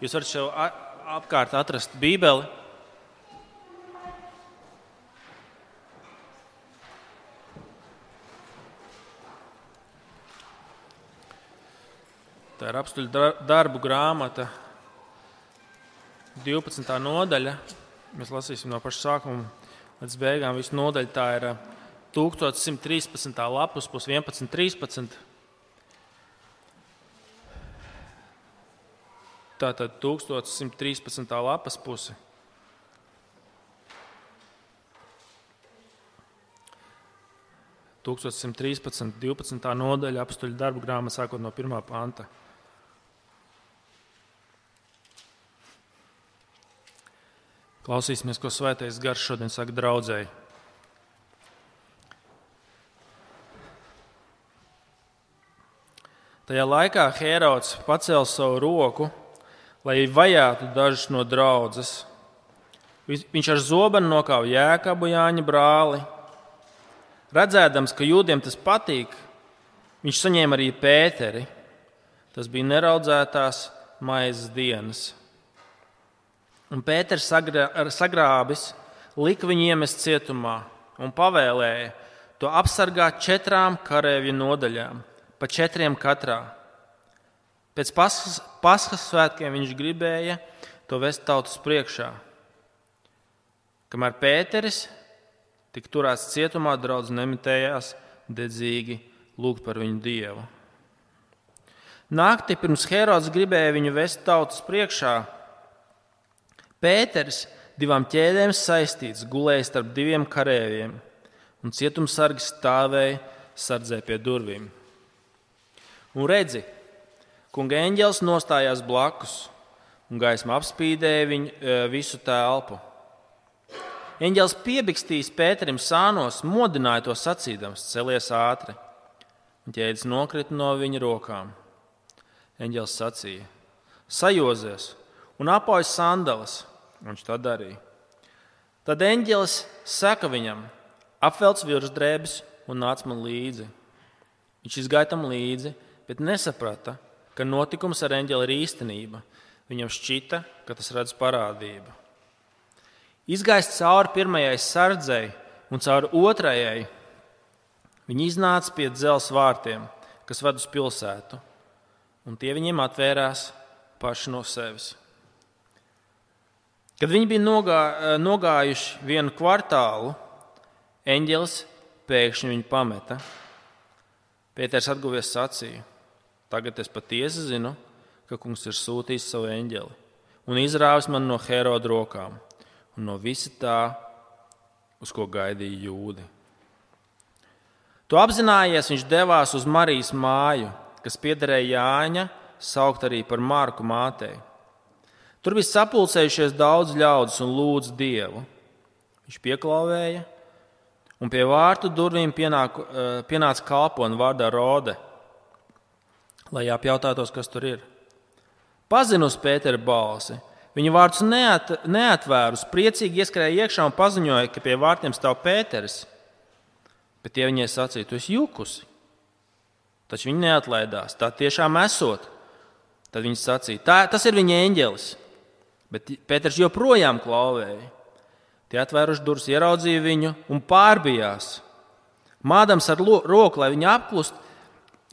Jūs varat šeit apkārt atrast Bībeli. Tā ir Apstuļu darbu grāmata, 12. nodaļa. Mēs lasīsim no paša sākuma līdz beigām. Visu nodaļu tā ir 1113. lapus, plus 11.13. Tātad 1113. lapas puse. – 1113. 12. nodaļa Apstuļu darbu grāmata sākot no 1. panta. Klausīsimies, ko Svētais Gars šodien saka draudzēji. Tajā laikā Hērods pacēla savu roku, lai vajātu dažus no draudzes. Viņš ar zobenu nokāva Jēkabu, Jāņa brāli. Redzēdams, ka jūdiem tas patīk, viņš saņēma arī Pēteri. Tas bija neraudzētās maizes dienas. Un Pēters sagrābis, lika viņu iemest cietumā un pavēlēja to apsargāt 4 kareivju nodaļām, pa 4 katrā. Pēc Paskas svētkiem viņš gribēja to vest tautas priekšā. Kamēr Pēteris tika turēts cietumā, draudz nemitējās dedzīgi lūgt par viņu Dievu. Naktī pirms Hērods gribēja viņu vest tautas priekšā, Pēteris 2 ķēdēm saistīts gulēja starp 2 kareiviem, un cietumsargi stāvēja sardzē pie durvīm. Un redzi, kunga eņģelis nostājās blakus, un gaisma apspīdēja viņu visu telpu. Eņģelis piebikstījis Pēterim sānos, modināja to sacīdams: celies ātri, un ķēdes nokrita no viņa rokām. Eņģelis sacīja: sajozies un apauj sandalas. Viņš tā darīja. Tad eņģelis saka viņam: apvelc virsdrēbes un nāc man līdzi. Viņš izgāja tam līdzi, bet nesaprata, ka notikums ar eņģeli ir īstenība. Viņam šķita, ka tas redz parādību. Izgājis cauri 1. sardzei un cauri 2. viņi iznāca pie dzelzs vārtiem, kas ved uz pilsētu, un tie viņiem atvērās paši no sevis. Kad viņi bija nogājuši 1 kvartālu, eņģelis pēkšņi viņu pameta. Pēters atguvies sacīja: tagad es patiesi zinu, ka kungs ir sūtījis savu eņģeli un izrāvis man no Hēroda rokām un no visa tā, uz ko gaidīja jūdi. To apzinājies, viņš devās uz Marijas māju, kas piederēja Jāņa, saukt arī par Marku mātei. Tur bija sapulcējušies daudz ļaudis un lūdza Dievu. Viņš pieklauvēja, un pie vārtu durvīm pienāca kalpone vārdā Rode, lai apjautātos, kas tur ir. Pazina uz Pētera balsi. Viņa vārdus neatvērus, priecīgi ieskrēja iekšā un paziņoja, ka pie vārtiem stāv Pēteris. Bet tie viņai sacīja: tu esi jukusi. Taču viņi neatlaidās, tā tiešām esot. Tad viņi sacīja: tas ir viņa eņģelis. Bet Pēters joprojām klauvēja. Tie atvēruši durvis, ieraudzīja viņu un pārbijās. Mādams ar roku, lai viņu apklust,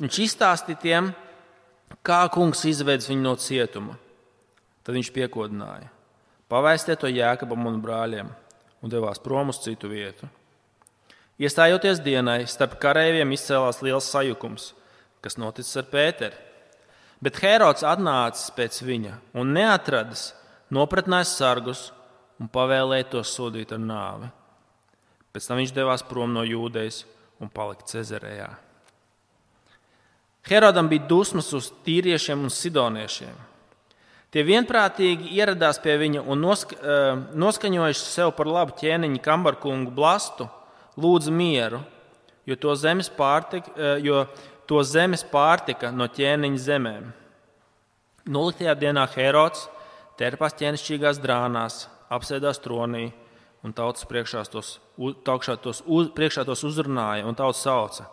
viņš izstāstīja tiem, kā kungs izvedis viņu no cietuma. Tad viņš piekodināja: pavēstiet to Jēkabam un brāļiem, un devās prom uz citu vietu. Iestājoties dienai, starp kareiviem izcēlās liels sajukums, kas noticis ar Pēteri. Bet Hērods atnācis pēc viņa un neatradis, nopratnājis sargus un pavēlēja tos sodīt ar nāvi. Pēc tam viņš devās prom no Jūdejas un palika Cezarejā. Hērodam bija dusmas uz tīriešiem un sidoniešiem. Tie vienprātīgi ieradās pie viņa un noskaņojuši sev par labu ķēniņa Kambarkungu Blastu, lūdza mieru, jo to zemes pārtika no ķēniņa zemēm. 0. dienā Hērods tērpās ķēnišķīgās drānās, apsēdās tronī un tautas priekšā tos uzrunāja un tauta sauca: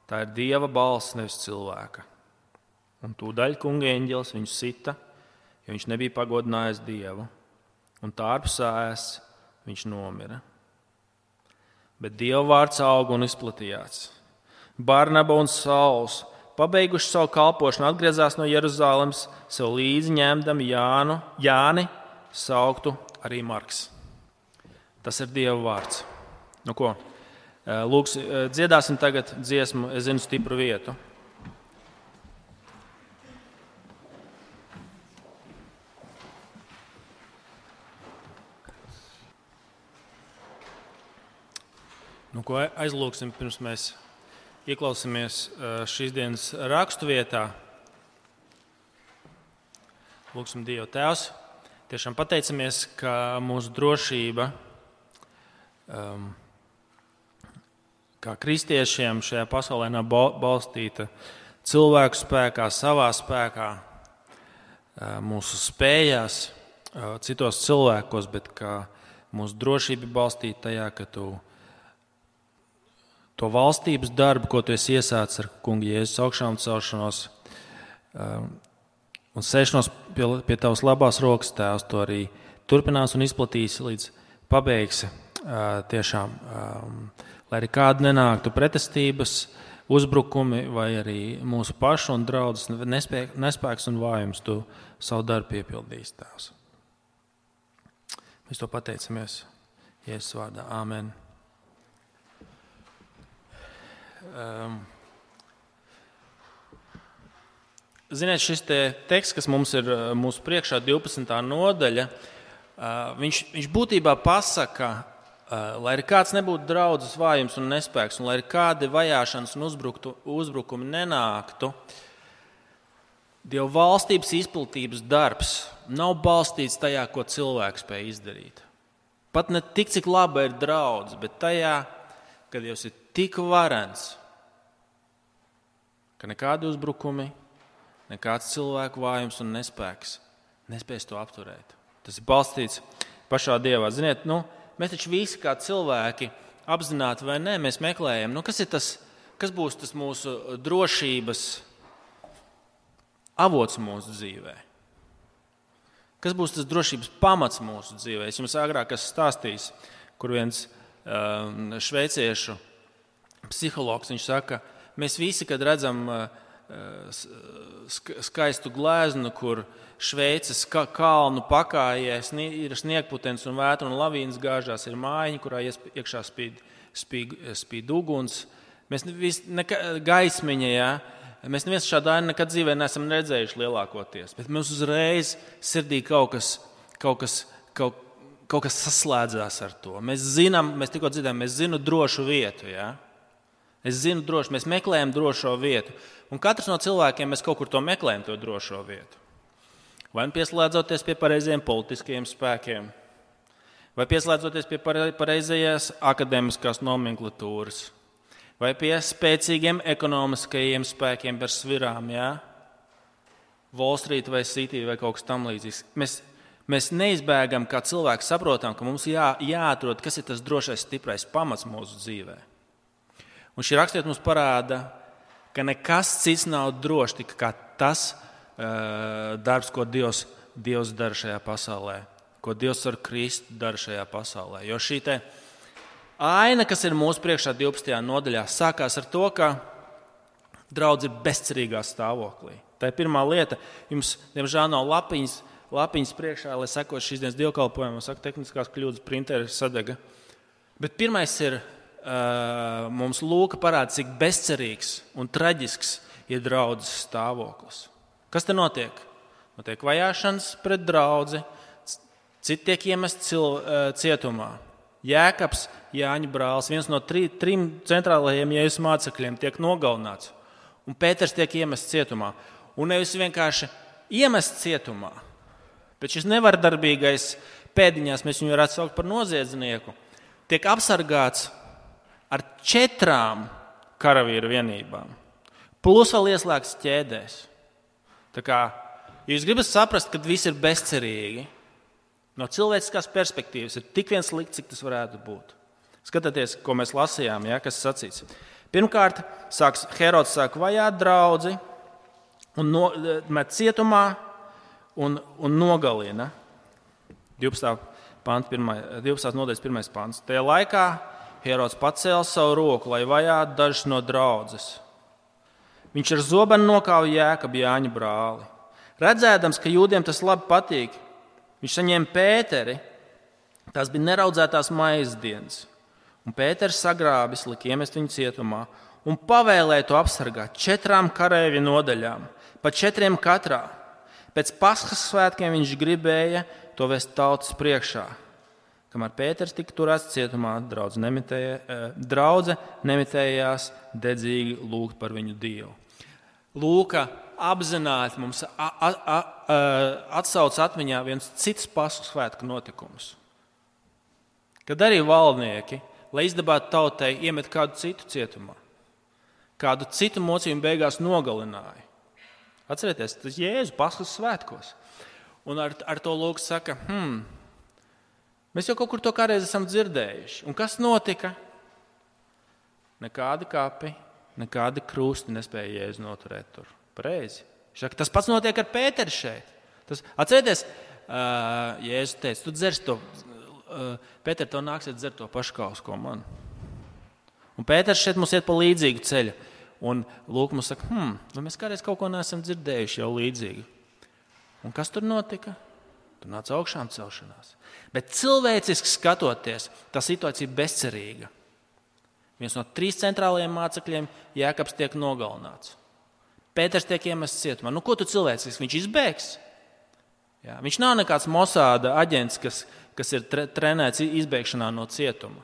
tā ir Dieva balss, nevis cilvēka. Un tūdaļ kunga eņģelis viņu sita, jo viņš nebija pagodinājis Dievu, un tārpsēs viņš nomira. Bet Dieva vārds auga un izplatījās. Barnaba un Sauls, pabeiguši savu kalpošanu, atgriezās no Jeruzalemes, sev līdzi ņemdami Jāni, sauktu arī Marks. Tas ir Dieva vārds. Nu ko? Lūks, dziedāsim tagad dziesmu, es zinu stipru vietu. Nu ko aizlūksim, pirms mēs ieklausāmies šīs dienas raksturvietā. Lūksim Dievu Tēvs. Tiešām pateicamies, ka mūsu drošība kā kristiešiem šajā pasaulē nav balstīta cilvēku spēkā, savā spēkā, mūsu spējās, citos cilvēkos, bet ka mūsu drošība ir balstīta tajā, ka tu to valstības darbu, ko tu esi iesācis ar Kunga Jēzus augšām celšanos un sēšanos pie tavas labās rokas, Tēvs, to arī turpinās un izplatīs līdz pabeigsi. Tiešām, lai arī kāda nenāktu pretestības, uzbrukumi vai arī mūsu pašu un draudzes nespēks un vājums, tu savu darbu piepildīsi, Tēvs. Mēs to pateicamies Jēzus vārdā. Āmen. Ziniet, šis teksts, kas mums ir mūsu priekšā, 12. nodaļa, viņš būtībā pasaka, lai arī kāds nebūtu draudzes vājums un nespēks, un lai arī kādi vajāšanas un uzbrukumi nenāktu, Dieva valstības izplatības darbs nav balstīts tajā, ko cilvēks spēj izdarīt. Pat ne tik, cik laba ir draudze, bet tajā, kad Dievs ir tik varens, ka nekādi uzbrukumi, nekāds cilvēku vājums un nespēks nespēs to apturēt. Tas ir balstīts pašā Dievā. Ziniet, mēs taču visi kā cilvēki apzināti vai nē, mēs meklējam, kas būs tas mūsu drošības avots mūsu dzīvē. Kas būs tas drošības pamats mūsu dzīvē? Es jums agrāk esmu stāstījis, kur viens šveiciešu psihologs, viņš saka, mēs visi, kad redzam skaistu gleznu, kur Šveices kalnu pakājē ir sniegputens un vētra un lavīnas gāžās, ir mājiņa, kurā iekšā spīd uguns. Mēs gaismiņa, jā. Mēs neviens šādā nekad dzīvē neesam redzējuši lielākoties, bet mums uzreiz sirdī kaut kas saslēdzās ar to. Mēs tikko dzirdējām, mēs zinām drošu vietu, jā. Mēs meklējam drošo vietu. Un katrs no cilvēkiem mēs kaut kur to meklējam, to drošo vietu. Vai pieslēdzoties pie pareizajiem politiskajiem spēkiem, vai pieslēdzoties pie pareizajās akadēmiskās nomenklatūras, vai pie spēcīgiem ekonomiskajiem spēkiem par svirām, jā? Wall Street vai City vai kaut kas tam līdzīgs. Mēs neizbēgam, kā cilvēki saprotam, ka mums jāatrod, kas ir tas drošais, stiprais pamats mūsu dzīvē. Un šī rakstiet mums parāda, ka nekas cits nav drošs, tik kā tas darbs, ko Dievs dara šajā pasaulē, ko Dievs ar Kristu dara šajā pasaulē. Jo šī aina, kas ir mūsu priekšā 12. nodaļā, sākās ar to, ka draudze ir bezcerīgā stāvoklī. Tā ir pirmā lieta. Jums, diemžēl, nav lapiņas priekšā, lai sekot šīs dienas dievkalpojumam, saka, tehniskās kļūdas, printeri sadega. Bet pirmais ir, mums Lūka parāda, cik bezcerīgs un traģisks ir draudzes stāvoklis. Kas te notiek? Notiek vajāšanas pret draudzi, citi tiek iemest cietumā. Jēkabs, Jāņa brālis, viens no trim centrālajiem Jēzus mācekļiem, tiek nogalināts. Un Pēters tiek iemests cietumā. Un nevis vienkārši iemests cietumā, bet šis nevardarbīgais pēdiņās, mēs viņu varētu saukt par noziedznieku, tiek apsargāts ar 4 karavīru vienībām. Plus vēl ieslēgts ķēdēs. Tā kā, ja jūs gribat saprast, ka viss ir bezcerīgi, no cilvēciskās perspektīvas ir tik viens slikts, cik tas varētu būt. Skatieties, ko mēs lasījām, ja, kas sacīts. Pirmkārt, Herods sāk vajāt draudzi un met cietumā, un nogalina. 12. nodaļas 1. pants. Tajā laikā Herods pacēla savu roku, lai vajātu dažus no draudzes. Viņš ar zobenu nokāva Jēkabu, Jāņa brāli. Redzēdams, ka jūdiem tas labi patīk, viņš saņēma Pēteri. Tās bija neraudzētās maizes dienas. Un Pēters sagrābis, lika iemest viņu cietumā un pavēlēja to apsargāt 4 kareivju nodaļām, pa 4 katrā. Pēc Paskas svētkiem viņš gribēja to vest tautas priekšā. Kamēr Pēters tika turēts cietumā, draudze nemitējās dedzīgi lūgt par viņu Dievu. Lūka apzināti mums atsauc atmiņā viens cits Paskas svētku notikums. Kad arī valdnieki, lai izdabātu tautai, iemet kādu citu cietumā, kādu citu mocījumu beigās nogalināja. Atcerieties, tas Jēzus Paskas svētkos. Un ar to lūk saka, mēs jau kaut kur to kādreiz esam dzirdējuši. Un kas notika? Nekādi kapi, nekādi krusti nespēja Jēzu noturēt tur. Pareizi. Tas pats notiek ar Pēteri šeit. Atcerieties, Jēzus teica, tu dzers to, Pēter, tev nāksiet dzert to pašu kausu, ko man. Un Pēters šeit mums iet pa līdzīgu ceļu. Un lūk, mums saka, vai mēs kādreiz kaut ko neesam dzirdējuši jau līdzīgi. Un kas tur notika? Tur nāca augšām celšanās. Bet cilvēciski skatoties, tā situācija ir bezcerīga. Viens no 3 centrālajiem mācekļiem, Jēkabs, tiek nogalināts. Pēters tiek iemests cietumā. Ko tu cilvēciski? Viņš izbēgs? Jā, viņš nav nekāds Mosāda aģents, kas ir trenēts izbēgšanā no cietuma.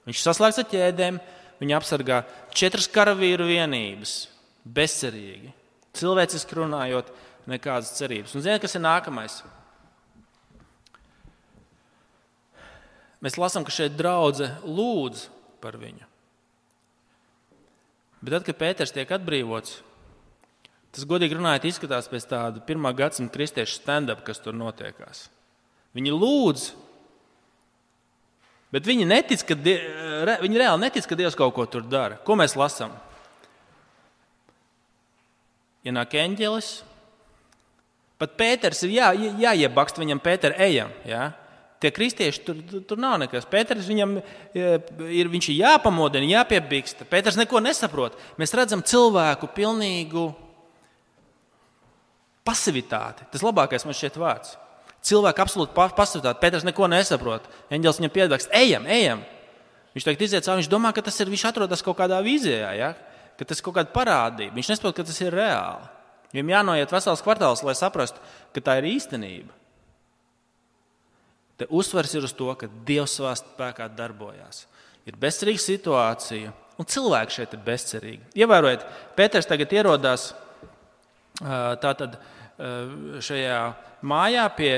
Viņš saslēgts ar ķēdēm, viņa apsargā 4 karavīru vienības, bezcerīgi, cilvēciski runājot, nekādas cerības. Un ziniet, kas ir nākamais? Mēs lasām, ka šeit draudze lūdz par viņu. Bet tad, kad Pēters tiek atbrīvots, tas, godīgi runājot, izskatās pēc tāda 1. gadsimta kristiešu stand-up, kas tur notiekās. Viņi lūdz, bet viņi reāli netic, ka Dievs kaut ko tur dara. Ko mēs lasām? Ienāk eņģelis. Pat Pēters ir jāiebakst viņam, Pēter, ejam. Jā? Tie kristieši, tur nav nekas. Pēters viņš ir jāpamodina, jāpiebiksta. Pēters neko nesaprot. Mēs redzam cilvēku pilnīgu pasivitāti. Tas labākais man šķiet vārds. Cilvēku absolūti pasivitāti. Pēters neko nesaprot. Eņģelis viņam piedāvā, ejam. Viņš tagad iziet cauri, viņš domā, ka viņš atrodas kaut kādā vīzijā, ja? Ka tas ir kaut kāda parādība. Viņš nesaprot, ka tas ir reāli. Viņam jānoiet vesels kvartāls, lai saprastu, ka tā ir īstenība. Te uzsvars ir uz to, ka Dievs savā spēkā darbojās. Ir bezcerīga situācija, un cilvēki šeit ir bezcerīgi. Ievērojiet, Pēters tagad ierodās tātad šajā mājā pie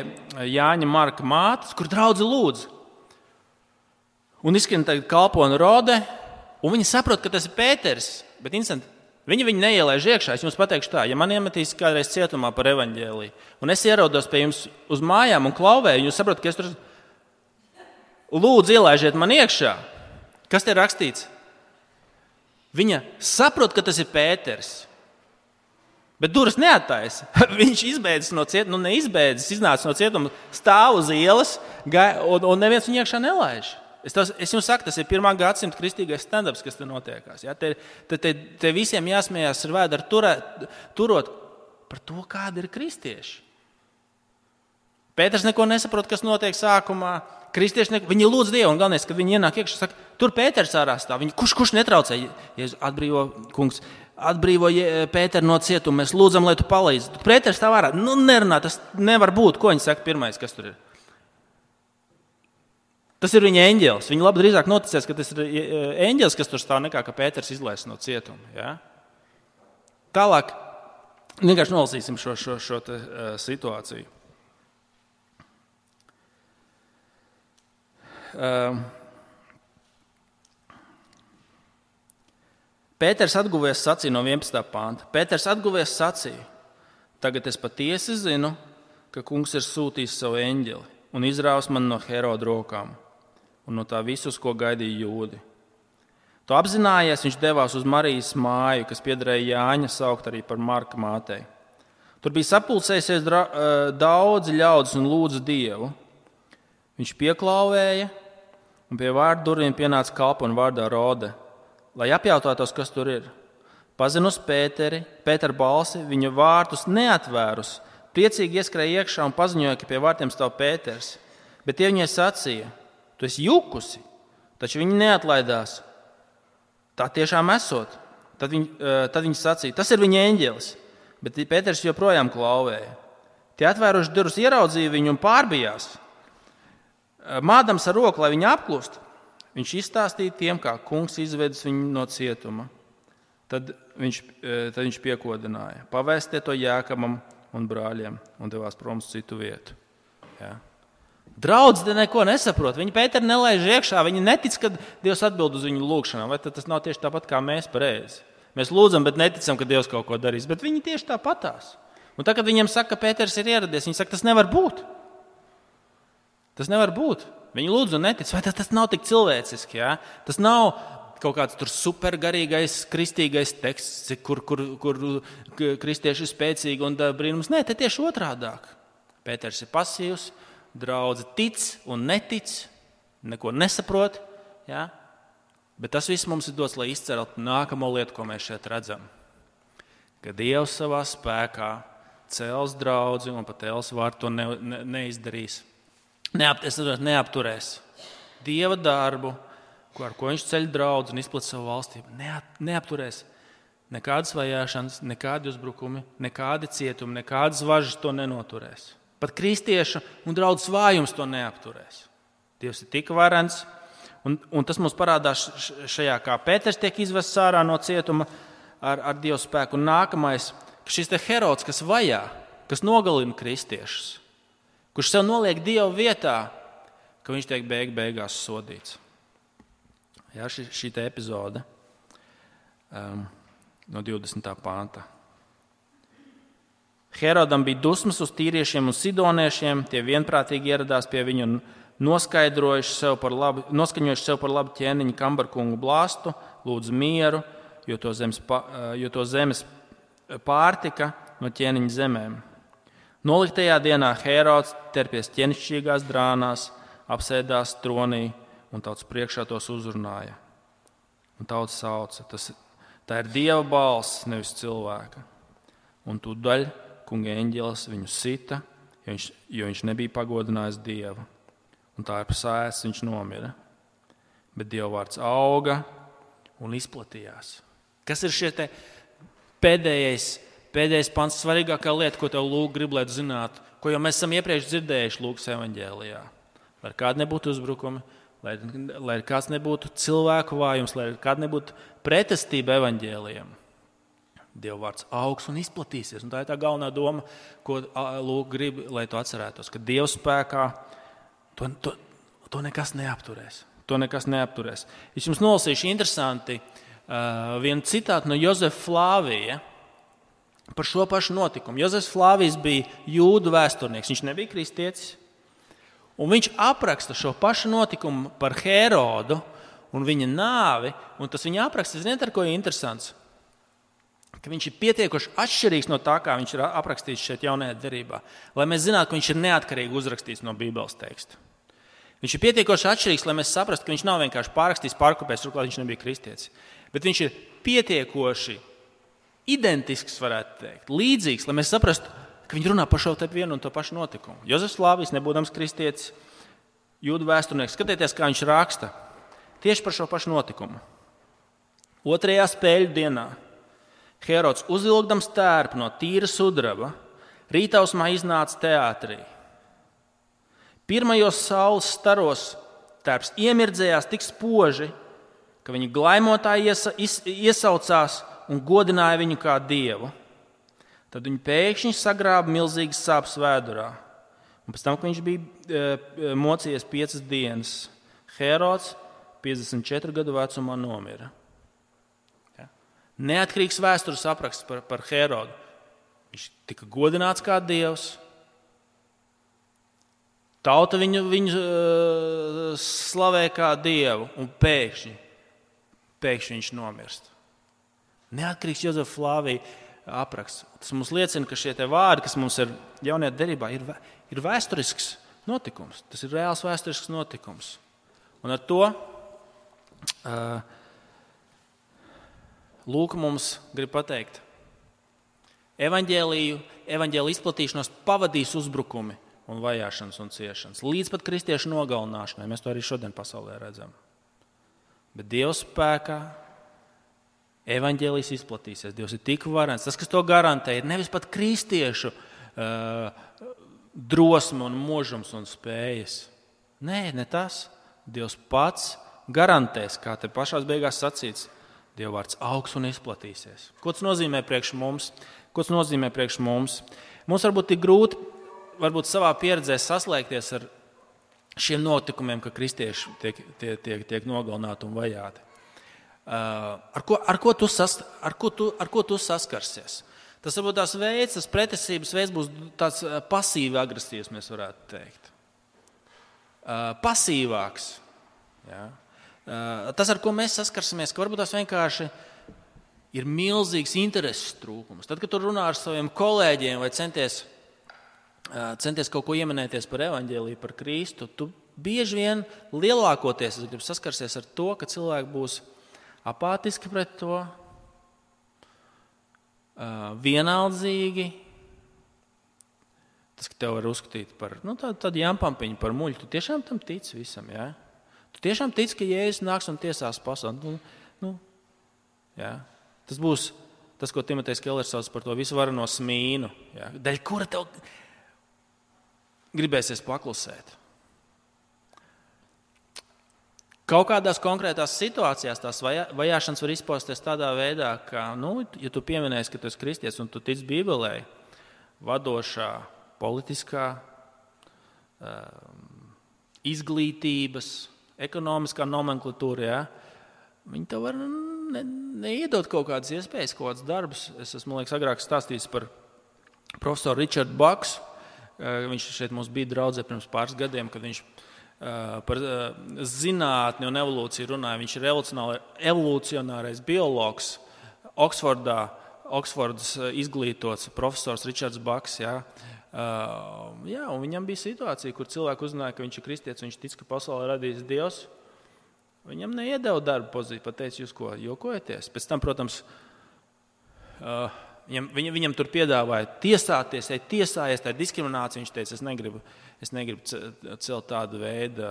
Jāņa Marka mātes, kur draudze lūdz. Un izskan tagad kalpona Rode, un viņi saprot, ka tas ir Pēters, bet instanti, viņi neielaiž iekšā. Es jums pateikšu tā, ja man iemetīs kādreiz cietumā par evaņģēliju, un es ierodos pie jums uz mājām un klauvēju, jūs saprotat, ka es tur lūdzu ielaižiet man iekšā. Kas te ir rakstīts? Viņa saprot, ka tas ir Pēters. Bet durvis neattaisa. Viņš izbēdzis no cietuma, neizbēdzis, iznāca no cietuma, stāv uz ielas, un neviens viņu iekšā nelaiž. Es jums saku, tas ir 1. gadsimta kristīgais stand-ups, kas te notiekās. Ja? Te visiem jāsmējās ar vēdru turot par to, kādi ir kristieši. Pēters neko nesaprot, kas notiek sākumā. Viņi lūdz Dievu, un galvenais, kad viņi ienāk iekšā, saka, tur Pēters ārā stāv. Kurš netraucē? Jēzus atbrīvo Pēteru no cietuma, mēs lūdzam, lai tu palīdzi. Pēters stāv ārā. Nerunā, tas nevar būt. Ko viņi saka pirmais, kas tur ir? Tas ir viņa eņģelis. Viņi labi drīzāk noticēs, ka tas ir eņģelis, kas tur stāv, nekā ka Pēters izlaists no cietuma. Ja? Tālāk vienkārši nolasīsim šo situāciju. Pēters atguvies sacīja no 11. pānta. Pēters atguvies sacīja, tagad es patiesi zinu, ka kungs ir sūtījis savu eņģeli un izrāvis mani no Heroda rokām un no tā visus, ko gaidīja jūdi. To apzinājies, viņš devās uz Marijas māju, kas piederēja Jāņa, saukt arī par Marka mātei. Tur bija sapulcējusies daudzi ļaudis un lūdza Dievu. Viņš pieklauvēja, un pie vārdu durvīm pienāca kalpone vārdā Rode, lai apjautātos, kas tur ir. Pazinus Pētera balsi, viņa vārtus neatvērus, priecīgi ieskrēja iekšā un paziņoja, ka pie vārtiem stāv Pēters. Bet tie viņai sacīja: tu esi jukusi, taču viņi neatlaidās. Tā tiešām esot. Tad viņi sacīja: tas ir viņa eņģelis. Bet Pēters joprojām klauvēja. Tie atvēruši durvis ieraudzīja viņu un pārbijās. Mādams ar roku, lai viņi apklust, viņš izstāstīja tiem, kā kungs izvedis viņu no cietuma. Tad viņš piekodināja: pavēstiet to Jēkabam un brāļiem, un devās prom uz citu vietu. Ja. Draudzi neko nesaprot. Viņi Pēteru nelaiž iekšā. Viņi netic, ka Dievs atbild uz viņu lūgšanām. Vai tas nav tieši tāpat kā mēs pareizi? Mēs lūdzam, bet neticam, ka Dievs kaut ko darīs. Bet viņi tieši tāpatās. Un tad, kad viņiem saka, ka Pēters ir ieradies, viņi saka, tas nevar būt. Tas nevar būt. Viņi lūdz un netic. Vai tas nav tik cilvēciski? Ja? Tas nav kaut kāds tur supergarīgais, kristīgais teksts, kur kristieši ir spēcīgi un brīnums. Nē, te tieši otrādāk. Pēters ir pasīvs, draudze tic un netic, neko nesaprot. Ja? Bet tas viss mums ir dots, lai izceltu nākamo lietu, ko mēs šeit redzam. Ka Dievs savā spēkā cels draudzi un pat Elsvārds to neizdarīs. Neapturēs Dieva darbu, ar ko viņš ceļ draudzi un izplat savu valstību. Neapturēs nekādas vajāšanas, nekādi uzbrukumi, nekādi cietumi, nekādas važas to nenoturēs. Pat kristiešu un draudzes vājums to neapturēs. Dievs ir tik varens, un tas mums parādās šajā, kā Pēters tiek izvests ārā no cietuma ar Dieva spēku. Un nākamais, ka šis te Herods, kas vajā, kas nogalina kristiešus, kurš sev noliek Dieva vietā, ka viņš tiek beigās sodīts. Jā, šī te epizode no 20. panta. Herodam bija dusmas uz tīriešiem un sidoniešiem, tie vienprātīgi ieradās pie viņa un noskaņojuši sev par labu ķēniņu Kambarkungu blāstu, lūdzu mieru, jo to zemes pārtika no ķēniņa zemēm. Noliktajā dienā Herods terpies ķēnišķīgās drānās, apsēdās tronī un tautas priekšā tos uzrunāja. Un tauta sauca: tā ir Dieva balss, nevis cilvēka. Un tūdaļ kunga eņģelis viņu sita, jo viņš nebija pagodinājis Dievu. Un tā ir pasāēs, viņš nomira. Bet Dieva vārds auga un izplatījās. Kas ir šie te pēdējais pants, svarīgākā lieta, ko tev Lūk grib, lai zinātu, ko jau mēs esam iepriekš dzirdējuši Lūkas evaņģēlijā? Lai kādi nebūtu uzbrukumi, lai kāds nebūtu cilvēku vājums, lai kāda nebūtu pretestība evaņģēlijam. Dieva vārds augs un izplatīsies. Un tā ir tā galvenā doma, ko Lūk grib, lai tu atcerētos, ka Dieva spēkā to nekas neapturēs. To nekas neapturēs. Es jums nolasīšu interesanti vienu citātu no Jozefa Flāvija par šo pašu notikumu. Jozefs Flāvijs bija jūdu vēsturnieks, viņš nebija kristietis. Un viņš apraksta šo pašu notikumu par Herodu un viņa nāvi. Un tas viņa apraksts, ziniet, ar ko ir interesants? Ka viņš ir pietiekoši atšķirīgs no tā, kā viņš ir aprakstīts šeit jaunajā derībā. Lai mēs zinātu, ka viņš ir neatkarīgi uzrakstīts no Bībeles teksta. Viņš ir pietiekoši atšķirīgs, lai mēs saprastu, ka viņš nav vienkārši pārrakstījis, pārkopējis, turklāt viņš nebija kristietis. Bet viņš ir pietiekoši identisks, varētu teikt, līdzīgs, lai mēs saprastu, ka viņi runā par šo te vienu un to pašu notikumu. Jozefs Flāvijs, nebūdams kristietis, jūdu vēsturnieks, skatieties, kā viņš raksta tieši par šo pašu notikumu. 2. spēļu dienā Herods, uzvilkdams tērpu no tīra sudraba, rītausmā iznāca teātrī. Pirmajos saules staros tērps iemirdzējās tik spoži, ka viņa glaimotāji iesaucās un godināja viņu kā dievu. Tad viņi pēkšņi sagrāba milzīgas sāpes vēdurā. Un pēc tam, kad viņš bija mocījies 5 dienas, Herods 54 gadu vecumā nomira. Ja? Neatkarīgs vēstures apraksts par Herodu. Viņš tika godināts kā dievs. Tauta viņu slavē kā dievu, un pēkšņi viņš nomirst. Neatkarīgs Jozefa Flāvija apraksts. Tas mums liecina, ka šie te vārdi, kas mums ir jaunajā derībā, ir vēsturisks notikums. Tas ir reāls vēsturisks notikums. Un ar to Lūka mums grib pateikt, evaņģēliju izplatīšanos pavadīs uzbrukumi un vajāšanas un ciešanas, līdz pat kristiešu nogalināšanai. Mēs to arī šodien pasaulē redzam. Bet Dieva spēkā evaņģēlijs izplatīsies. Dievs ir tik varens. Tas, kas to garantē, ir nevis pat kristiešu drosme un možums un spējas. Nē, ne tas. Dievs pats garantēs, kā te pašās beigās sacīts, Dieva vārds augs un izplatīsies. Ko tas nozīmē priekš mums? Mums varbūt ir grūti savā pieredzē saslēgties ar šiem notikumiem, ka kristieši tiek nogalināti un vajāti. Ar ko tu saskarsies? Tas varbūt tās veids, tas pretesības veids būs tāds pasīvi agresīvs, mēs varētu teikt. Pasīvāks. Ja? Tas, ar ko mēs saskarsimies, ka varbūt tās vienkārši ir milzīgs intereses trūkums. Tad, kad tu runā ar saviem kolēģiem vai centies kaut ko ieminēties par evaņģēliju, par Kristu, tu bieži vien lielākoties saskarsies ar to, ka cilvēki būs apātiski pret to, vienaldzīgi. Tas, ka tev var uzskatīt par tādu jampampiņu, par muļu, tu tiešām tam tici visam, jā? Ja? Tu tiešām tici, ka Jēzus nāks un tiesās pasauli. Jā. Tas būs tas, ko Timotejs Kellers sauc par to visvarano smīnu, jā? Daļ kura tev gribēsies paklusēt. Kaut kādās konkrētās situācijās tās vajāšanas var izpausties tādā veidā, ka, ja tu pieminēsi, ka tu esi kristietis un tu tici Bībelē, vadošā, politiskā, izglītības, ekonomiskā nomenklatūra, ja, viņi tev var neiedot kaut kādas iespējas, kaut kādas darbus. Es esmu, agrāk stāstījis par profesoru Richardu Baksu. Viņš šeit mums bija draudzē pirms pāris gadiem, kad viņš par zinātni un evolūciju runāja. Viņš ir evolucionārais biologs, Oksfordas izglītots profesors Richards Baks. Ja. Un viņam bija situācija, kur cilvēki uzzināja, ka viņš ir kristietis, viņš tic, ka pasaulē radījis Dievs. Viņam neiedeva darba pozīciju, pateica, jūs ko jokojaties. Pēc tam, protams, viņam tur piedāvāja tiesāties, tiesājies, tā ir diskriminācija. Viņš teica, es negribu celt tādu veidu,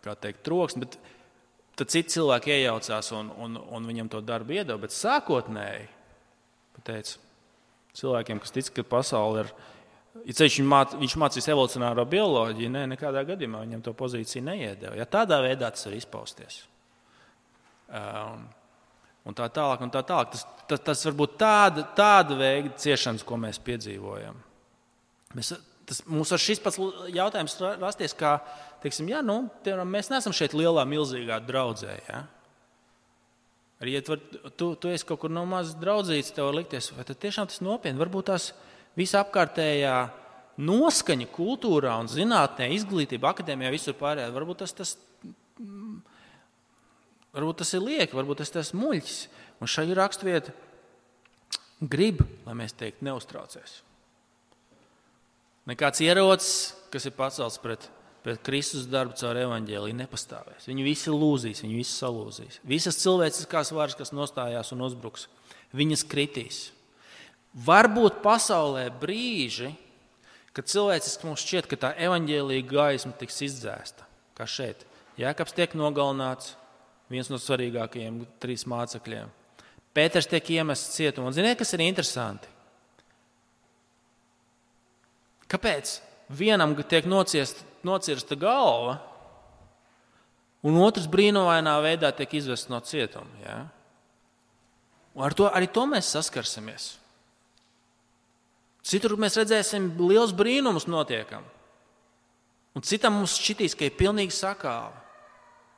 kā teikt, troksni, bet tad citi cilvēki iejaucās un viņam to darbu iedeva. Bet sākotnēji, pateica, cilvēkiem, kas tic, ka pasaule ir, viņš mācīs evolucionāro bioloģiju, nekādā gadījumā viņam to pozīciju neiedeva. Ja tādā veidā tas var izpausties. Un tā tālāk. Tas var būt tāda veida ciešanas, ko mēs piedzīvojam. Mums var šis pats jautājums rasties, kā, teiksim, mēs neesam šeit lielā, milzīgā draudzē. Ja? Arī, ja tu esi kaut kur no mazas draudzītes, tev var likties, vai tad tiešām tas nopietni, varbūt tās visa apkārtējā noskaņa kultūrā un zinātnē, izglītība, akadēmijā, visur pārējā, varbūt tas ir lieki, varbūt tas muļķis. Un šai raksturvieta grib, lai mēs teikt, neuztraucies. Nekāds ierocis, kas ir pacelts pret Kristus darbu caur evaņģēliju, nepastāvēs. Viņi visi lūzīs, viņi visi salūzīs. Visas cilvēciskās varas, kas nostājās un uzbruks, viņas kritīs. Varbūt pasaulē brīži, kad cilvēciski mums šķiet, ka tā evaņģēlija gaisma tiks izdzēsta, kā šeit. Jēkabs tiek nogalināts, viens no svarīgākajiem 3 mācekļiem. Pēters tiek iemests cietumā. Un ziniet, kas ir interesanti? Kāpēc vienam tiek nocirsta galva, un otrs brīnumainā veidā tiek izvests no cietuma? Ja? Un arī to mēs saskarsimies. Citur mēs redzēsim liels brīnumus notiekam. Un citam mums šķitīs, ka ir pilnīgi sakāva.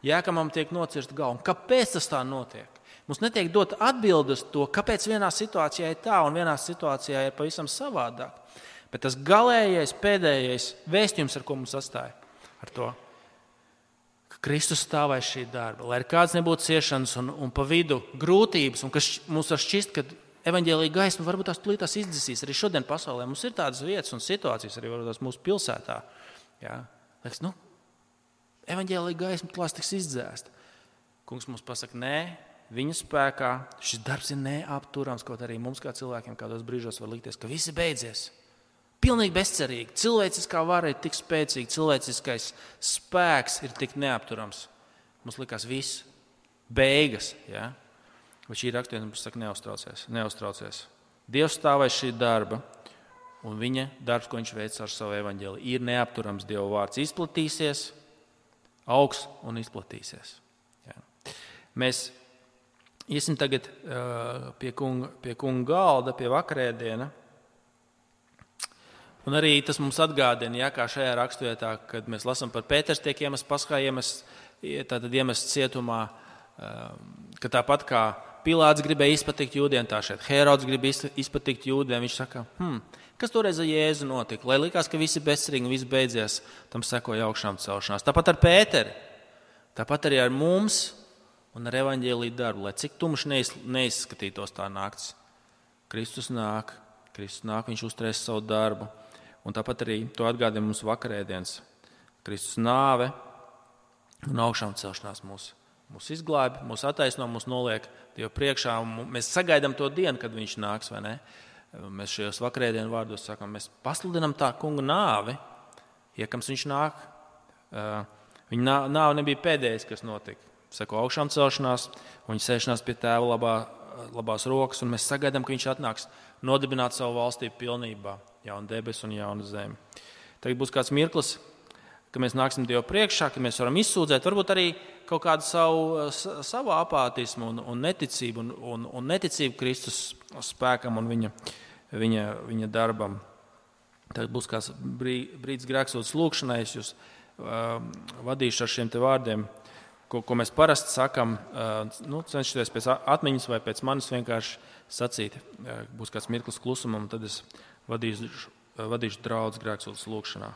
Jēkabam tiek nocirsta galva. Un kāpēc tas tā notiek? Mums netiek dot atbildes to, kāpēc vienā situācijā ir tā un vienā situācijā ir pavisam savādāk. Bet tas galējais, pēdējais vēstījums, ar ko mums sastāja, ar to, ka Kristus stāv aiz šī darba, lai ir kāds nebūtu ciešanas un pa vidu grūtības, un kas mums var šķist, ka evaņģēlija gaisma, varbūt tās plītās izdzisīs. Arī šodien pasaulē mums ir tādas vietas un situācijas, arī varbūt tās mūsu pilsētā. Jā. Liekas, evaņģēlija gaisma klās tiks izdzēsta. Kungs mums pasaka, nē, viņa spēkā šis darbs ir neapturams, kaut arī mums kā cilvēkiem kādos brīžos var likties, ka viss ir beidzies. Pilnīgi bezcerīgi. Cilvēciskā vara ir tik spēcīga, cilvēciskais spēks ir tik neapturams. Mums likās viss beigas. Ja? Bet šī raksturvieta mums saka, neuztraucies. Dievs stāv aiz šī darba, un viņa darbs, ko viņš veic ar savu evaņģēliju, ir neapturams. Dieva vārds izplatīsies, augs un izplatīsies. Ja? Mēs iesim tagad pie kunga galda, pie vakarēdiena. Un arī tas mums atgādina, kā šajā raksturvietā, kad mēs lasām par Pēters tiek iemests paskā, iemests cietumā, ka tāpat kā Pilāts gribēja izpatikt jūdiem, tā šeit Herods grib izpatikt jūdiem. Viņš saka, kas toreiz ar Jēzu notika? Lai likās, ka visi bezcerīgi un viss beidzies, tam sekoja augšām celšanās. Tāpat ar Pēteri, tāpat arī ar mums un ar evaņģēliju darbu, lai cik tumši neizskatītos tā nakts. Kristus nāk, viņš uzturēs savu darbu. Un tāpat arī to atgādina mums vakarēdienas. Kristus nāve un augšām celšanās mūs izglābi, mūs attaisno, mūs noliek Dievu priekšā. Mēs sagaidām to dienu, kad viņš nāks, vai ne? Mēs šajos vakarēdienu vārdos sakām, mēs pasludinām tā kunga nāvi, iekams viņš nāk. Viņa nāve nebija pēdējais, kas notika. Seko augšām celšanās, un viņa sēšanās pie tēva labās rokas, un mēs sagaidām, ka viņš atnāks nodibināt savu valstību pilnībā, jaunu debesu un jaunu zemi. Tagad būs kāds mirklis, ka mēs nāksim Dievu priekšā, ka mēs varam izsūdzēt, varbūt arī kaut kādu savu apātismu un neticību, un neticību Kristus spēkam un viņa darbam. Tagad būs kāds brīdis grēksūdzes lūkšanai, es jūs vadīšu ar šiem te vārdiem, ko mēs parasti sakam, cenšaties pēc atmiņas vai pēc manis vienkārši sacīt. Būs kāds mirklis klusumam, tad es vadīšu draudz grēksūdzes lūkšanā.